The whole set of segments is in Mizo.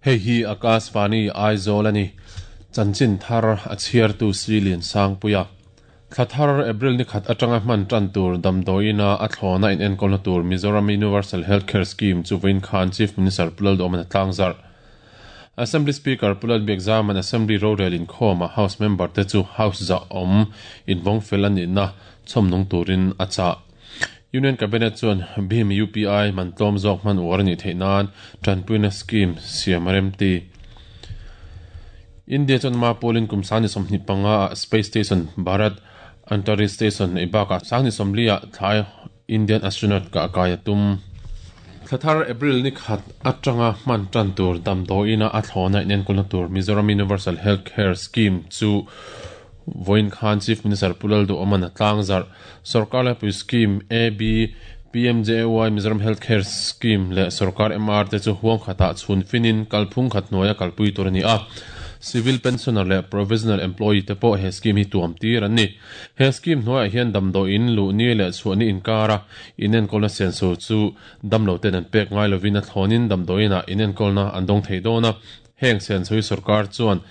Hei hi Akashvani Aizawl a ni. Chanchin thar a chhiartu Silian Sangpuia. Thla thar April ni khat atanga hman tan tur damdawiina a thlawna inenkawlna tur Mizoram Universal Health Care Scheme chu vawiin khan Chief Minister Pu Lalduhawman a tlangzarh. Assembly Speaker Pu Lalbiakzaman Assembly rorel inkhawmah House member te chu House zah awm invawng fel a nihna chhawmnung turin a chah. Union Cabinet chuan BHIM UPI man tlawm zawk hman uar a nih theih nan tanpuina scheme siam a remti. India chuan ma pawlin kum 25 ah Space Station Bharat Antariksh Station neih bakah 40 ah thlai Indian astronaut kah kai a tum. Thla thar April ni khat atanga hman tan tur damdawiina a thlawna inenkawlna tur Mizoram Universal Health Care Scheme chu vawiin khan Chief Minister Pu Lalduhawman a tlangzarh. Sorkar laipui scheme AB, PMJAY Mizoram Health Care Scheme leh Sorkar MR te chu huang khatah chhun finin kalphung khat hnuaia kalpui tur a ni a. Civil pensioner leh provisional employee te pawh he scheme hi tuam tir an ni. He scheme hnuaiah hian damdawiin luhni leh chhuahni inkara inenkawlna senso chu damlo ten an pek ngai lovin a thlawnin damdawiinah inenkawlna an dawng thei dawn a. Heng senso hi sorkar chuan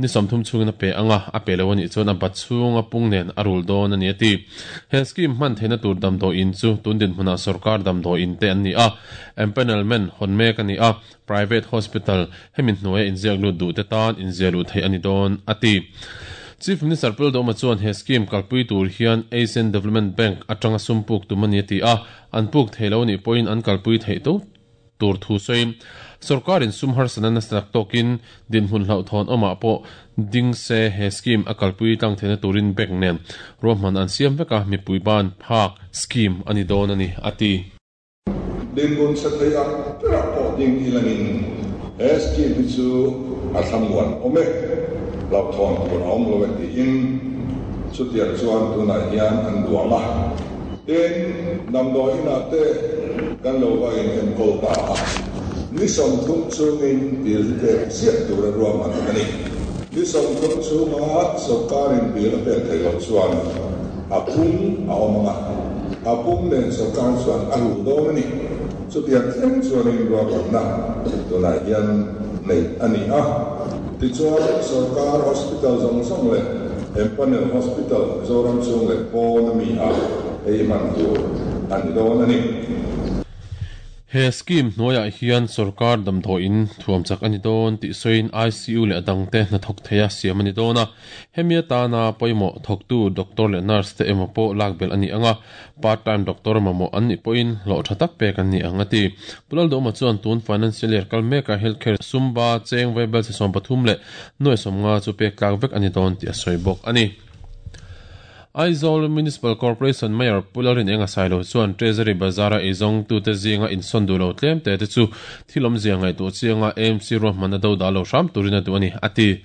ni 30 chhungin a pe ang a, a pe lo a nih chuan a bat chhunga pung nen a rul dawn a ni a ti. He scheme hman theihna tur damdawiin chu tun dinhmunah sorkar damdawiin te an ni a, empanelment hawn mek a ni a, Private Hospital hemi hnuaia inziak lut duh te tan inziah luh theih a ni dawn, a ti. Chief Minister Pu Lalduhoma chuan he scheme kalpui tur hian Asian Development Bank atanga sum puk tum a ni a ti a, an puk thei lo anih pawhin an kalpui theih to tur thu sawiin sorkarin sum harsatna nasa tak tawkin dinhmun hlauhthawn awmah pawh ding se he scheme a kalpui tlang theihna turin bank nen ruahman an siam vek a, mipui ban phak scheme a ni dawn a ni, a ti. Dinhmun chhe thei ang berah pawh ding ilangin he scheme hi chu a thlamuan awm e, hlauhthawn tur a awm lo e tiin chutiang chuan tunah hian an duang a. Tin, damdawi inah te kan lo va inenkawl ta a, ni 30 chungin bill hi pek ziah tura ruahman a ni. Ni 30 chunga sawrkarin bill a pek theih loh chuan a pung a awm ang a, a pung nen sawrkar chuan a rul dawn a ni. Chutiang thleng chuanin ruahmanna tunah hian neih a ni a. Tichuan, sawrkar hospital zawng zawng leh empanel hospital Mizoram chhung leh pawn ami ah ei hman tur a ni dawn a ni. He scheme hnuaiah hian sorkar damdawiin thuam chak a ni dawn tih sawiin ICU leh a dangte hnathawk theia siam a ni dawn a. Hemi atana pawimawh thawktu doctor leh nurse te emaw pawh lak belh a ni ang a, part time doctor mamawh an nih pawhin hlawh tha tak pek an ni ang a ti. Pu Lalduhawma chuan tun financial year kal mekah healthcare sumba cheng vaibel chi 13 leh nuai 50 chu pek tlak vek a ni dawn tih a sawi bawk a ni. Aizawl Municipal Corporation Mayor Pu Lalrinenga Sailo chuan Treasury Bazar-a eizawngtute zinga insawn duh lo tlem te te chu thil awmzia ngaihtuah chianga AMC ruahmanna do dah lo hram turin a duh a ni, a ti.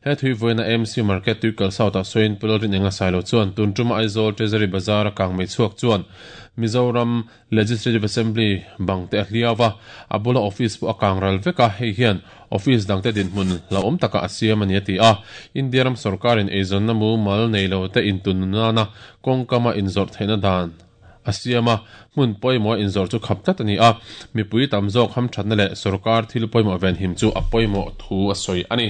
He thui vawiina AMC Market Tuikal South-ah sawiin Pu Lalrinenga Sailo chuan tun tuma Aizawl Treasury Bazar-a kangmei chhuak chuan Mizoram Legislative Assembly bang te a hliau a, a bula office pawh a kang ral vek a, hei hian office dangte dinhmun hlauhawm takah a siam a ni a ti a. India ram sorkarin eizawnna mumal nei lo te intun nana kawngkama inzawrh theihna dan a siam a, hmun pawimawha inzawrh chu khap tlat a ni a, mipui tam zawk hamthatna leh sorkar thil pawimawh venhim chu a pawimawh thu a sawi a ni.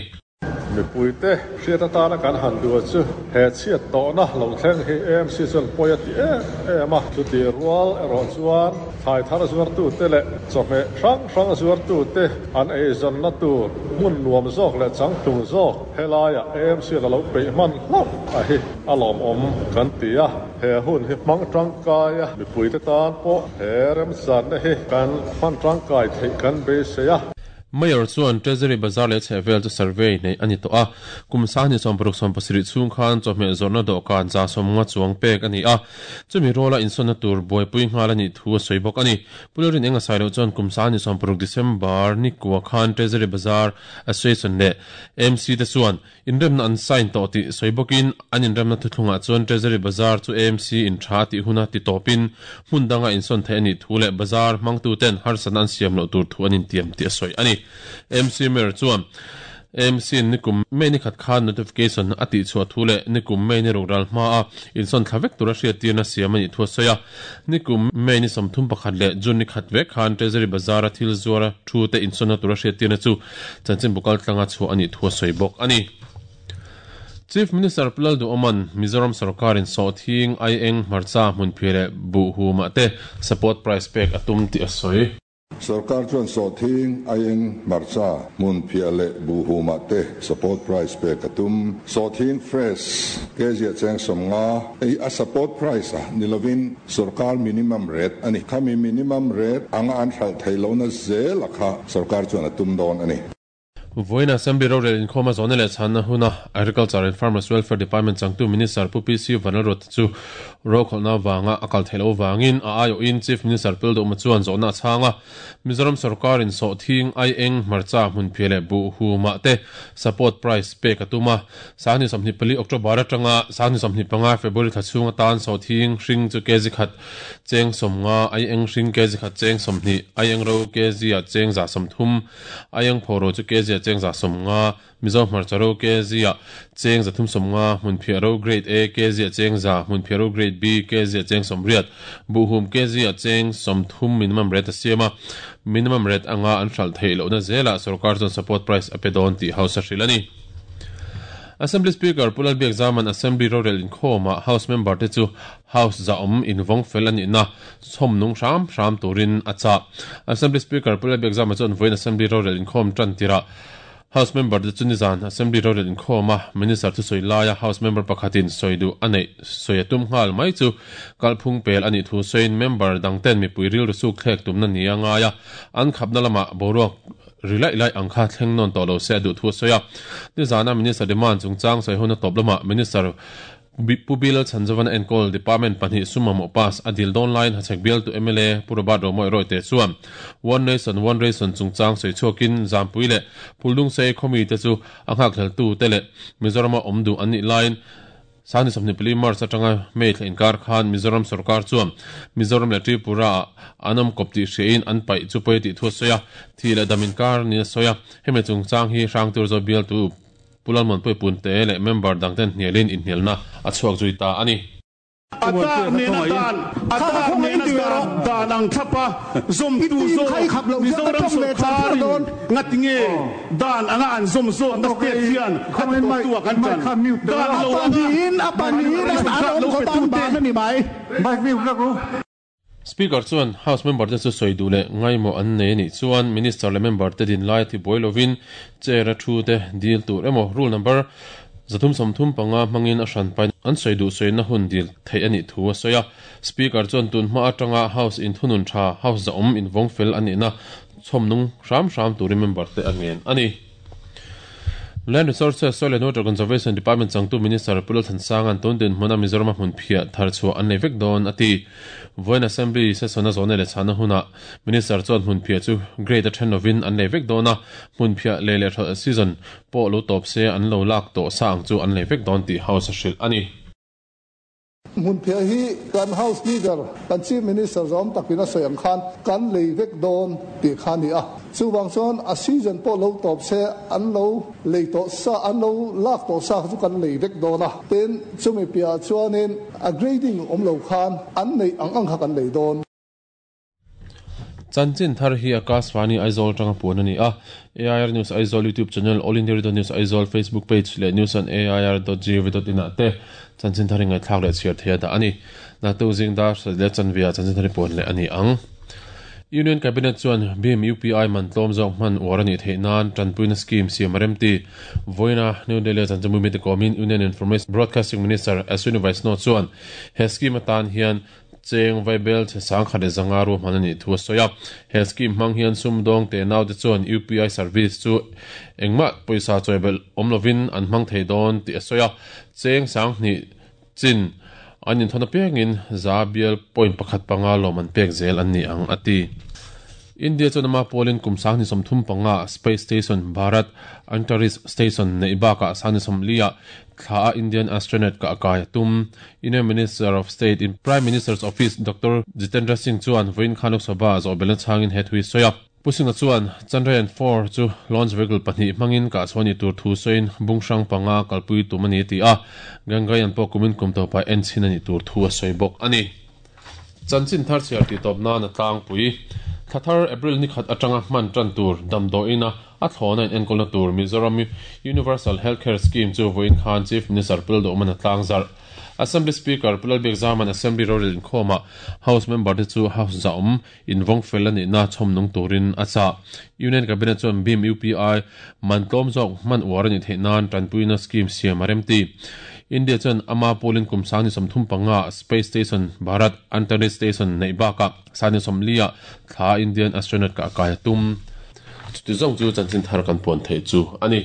Mipuite hriat atana kan han duh chu he chhiat tawhna lo thleng hi AMC chuan pawi a ti em em a. Chutih rual erawh chuan thlai thar zuartute leh chawhmeh hrang hrang zuartute an eizawnna tur hmun nuam zawk leh changtlung zawk helaiah AMC a lo peih hman hlauh a hi a lawmawm kan ti a. He hun hi hmang tangkai a, mipuite tan pawh he remchanna hi kan hman tangkai theih kan beisei a. Mayor chuan Treasury Bazar leh chhehvel chu survey neih a ni tawh a, kum 20 60 17 chhung khan chawhmeh zawrhna dawhkan 150 chuang pek a ni a, chumi rawla insawnna tur buaipui nghal a nih thu a sawi bawk a ni. Pu Lalrin Enga Sailo chuan kum 20 60 December ni kua khan Treasury Bazar Association leh AMC te chuan Inremna an sign tawh tih sawi bawkin an inremna thuthlungah chuan Treasury Bazar chu AMC in tha a tih huna ti tawpin hmun danga insawn theih a nih thu leh bazar hmangtuten harsatna an siam loh tur thu an intiam tih a sawi a ni. AMC Mayor chuan AMC in nikum May ni khat khan notification a tihchhuah thu leh nikum May ni ruk ral hmaa insawn thla vek tura hriattirna siam a nih thu a sawi a. Nikum May ni 31 leh June ni khat vek khan Treasury Bazar-a thil zuara thu te insawnna tura hriattirna chu chanchinbu kaltlanga chhuah a nih thu a sawi bawk a ni. Chief Minister Pu Lalduhawma'n Mizoram sorkarin sawhthing, aieng, hmarcha, hmunphiah leh buhhumah te support price pek a tum tih a sawi. Sorkar chuan sawhthing, aieng, hmarcha, hmunphiah leh buhhumah te support price pek a tum. Sawhthing fresh kg-ah cheng 50 ei a support price a ni lovin sorkar minimum rate a ni. Khami minimum rate anga an hralh theih lohna zela kha sorkar chuan a tum dawn a ni. Vawiin Assembly rorel inkhawm a zawhna leh chhanna huna Agriculture and Farmers Welfare Department changtu Minister Pu PC Vanlalruata chu rokhawlhna avanga a kal theih loh avangin a aiawhin Chief Minister Pilduhma chuan zawhna a chhang a. Mizoram sorkarin sawhthing, aieng, hmarcha, hmunphiah leh buhhumah te support price pek a tum a. 2024 October atanga 2025 February thla chhung atan sawhthing hring chu kg khat cheng 50, aieng hring kg khat cheng 20, aieng ro kg ah cheng 130, Aiang phoro chu kg ah cheng 150, Mizo hmarcha ro kg ah cheng 350, Hmunphiah ro Grade A kg ah cheng 100, Hmunphiah ro Grade B kg ah cheng 80, Buhhum kg ah cheng 30 minimum rate a siam a, minimum rate anga an hralh theih lohna zelah sorkar chuan support price a pe dawn tih House a hrilh a ni. Assembly Speaker Pu Lalbiakzaman Assembly rorel inkhawmah House member te chu House zahawm invawng fel a nihna chhawm nung hram hram turin a chah. Assembly Speaker Pu Lalbiakzama chuan vawiin Assembly rorel inkhawm tan tirah House member te chu nizan Assembly rorel inkhawma Minister thusawi laia House member pakhatin sawi duh a neih sawi a tum nghal mai chu kalphung pel a nih thu sawiin member dangten mipui rilru suk thlek tumna ni a ngai a, an khapna lamah boruak ri laih laih ang kha thleng nawn tawh lo se a duh thu a sawi a. Nizana Minister demand chungchang sawi huna tawp lamah Minister Pu Bill Chhanzovana enkawl Department pahnih sum mamawh pass a dil dawn laiin Hachhek bialtu mla Pu Robert Romawih Rawite chuan One Nation One Ration chungchang sawi chhuakin Zampui leh Phuldungsei khawmite chu a nghakhleltu te leh Mizorama awm duh an nih laiin 2024 March atanga May thla inkar khan Mizoram sorkar chuan Mizoram leh Tripura ah an awm kawp tih hriain an paih chu pawi tih thu a sawi a, thih leh dam inkar niin a sawi a, hemi chungchang hi Hrangturzo bialtu Pu Lalmuanpuii Punte leh member dangten hnialin inhnialna a chhuak zui ta a ni. A tak nena dan, a tak nena dan, dan ang thlapa zawmtu zawk Mizoram sawrkarin ngatinge dan anga an zawm zawkna state hian a ti tawptu ah kan ṭan. Dan lo anga dan lo petute. Speaker chuan House member te chu sawi duh leh ngaimawh an nei a nih chuan Minister leh member te din lai a tibuai lovin chair a thu te dil tur emaw rule number 335 hmangin a hran pain an sawi duh sawina hun dil theih a nih thu a sawi a. Speaker chuan tun hma atanga House inthunun tha, House zahawm invawng fel a nihna chhawm nung hram hram turin member te a ngen a ni. Land Resources, Soil and Water Conservation Department changtu Minister Pu Lalthansanga'n tun dinhmuna Mizorama hmun phiah thar chhuah an nei vek dawn a ti. Vawiin Assembly session a zawhna leh chhahna hunah Minister chuan hmun phiah chu grade a then lovin an lei vek dawn a, hmun phiah lei leh hralh season pawh lo tawp se an lo lak tawh sa ang chu an lei vek dawn tih House a hrilh a ni. Hmunphiah hi kan House Leader, kan Chief Minister zawm takin a sawi ang khan kan lei vek dawn tih kha a ni a. Chuvang chuan a season pawh lo tawp se an lo lei tawh sa, an lo lak tawh sa kha chu kan lei vek dawn a. Tin, chumi piahah chuanin a grading awm lo khan an neih ang ang kha kan lei dawn. Chanchin thar hi Akashvani Aizawl atanga puan a ni a. AIR News Aizawl YouTube channel, All India Radio News Aizawl Facebook page leh news on air dot gov dot in ah te chanchin thar hi ngaihthlak leh chhiar theih a dah a ni. Naktuk zing dar sarih leh chanve ah chanchin thar hi puan leh a ni ang. Union Cabinet chuan BHIM UPI man tlawm zawk hman uar a nih theih nan tanpuina scheme siam a remti. Vawiina New Delhi a chanchinbu mite kawmin Union Information Broadcasting Minister Ashwini Vaishnaw chuan he scheme atan hian Cheng Vaibel chhe 1500 ruahman a nih thu a sawi a. He scheme hmang hian sumdawng te naute chuan UPI service chu engmah pawisa chawi belh awm lovin an hmang thei dawn tih a sawi a. Cheng 2000 chin an inthawn apiangin za bial point pakhat panga lawm an pek zel an ni ang, a ti. India chuan ama pawlin kum 2035 Space Station Bharat Antariksh Station neih bakah 2040-ah Thla a Indian astronaut ka kai a tum. Union Minister of State in Prime Minister's Office Doctor Jitendra Singh chuan vawiin khan Lok Sabha a zawhbelna chhangin he thu hi sawi a. Pu Singh-a chuan Chandrayaan 4 chu launch vehicle pahnih hmangin kah chhuah a nih tur thu sawiin bung hrang panga kalpui tum a ni a ti a, Gangayaan pawh kumin kum tawpah en chhin a nih tur thu a sawi bawk a ni. Chanchin thar chhiar tih tawp nan a tlangpui. Thla thar April ni khat atanga hman tan tur damdawiin a a thlawna in enkawlna tur Mizoram Universal Health Care Scheme chu vawiin khan Chief Minister Pu Lalduhman a tlangzarh. Assembly Speaker Pu Lalbiakzaman Assembly rorel inkhawmah House member te chu House zahawm invawng fel a nihna chhawm nung turin a chah. Union Cabinet chuan BHIM UPI man tlawm zawk hman uar a nih theih nan tanpuina scheme siam a remti. India chuan ama pawlin kum 35 ah Space Station Bharat Antariksh Station neih bakah 34 ah thla Indian Astronaut kah kai a tum. Chuti zawng chu chanchin thar kan puan theih chu a ni.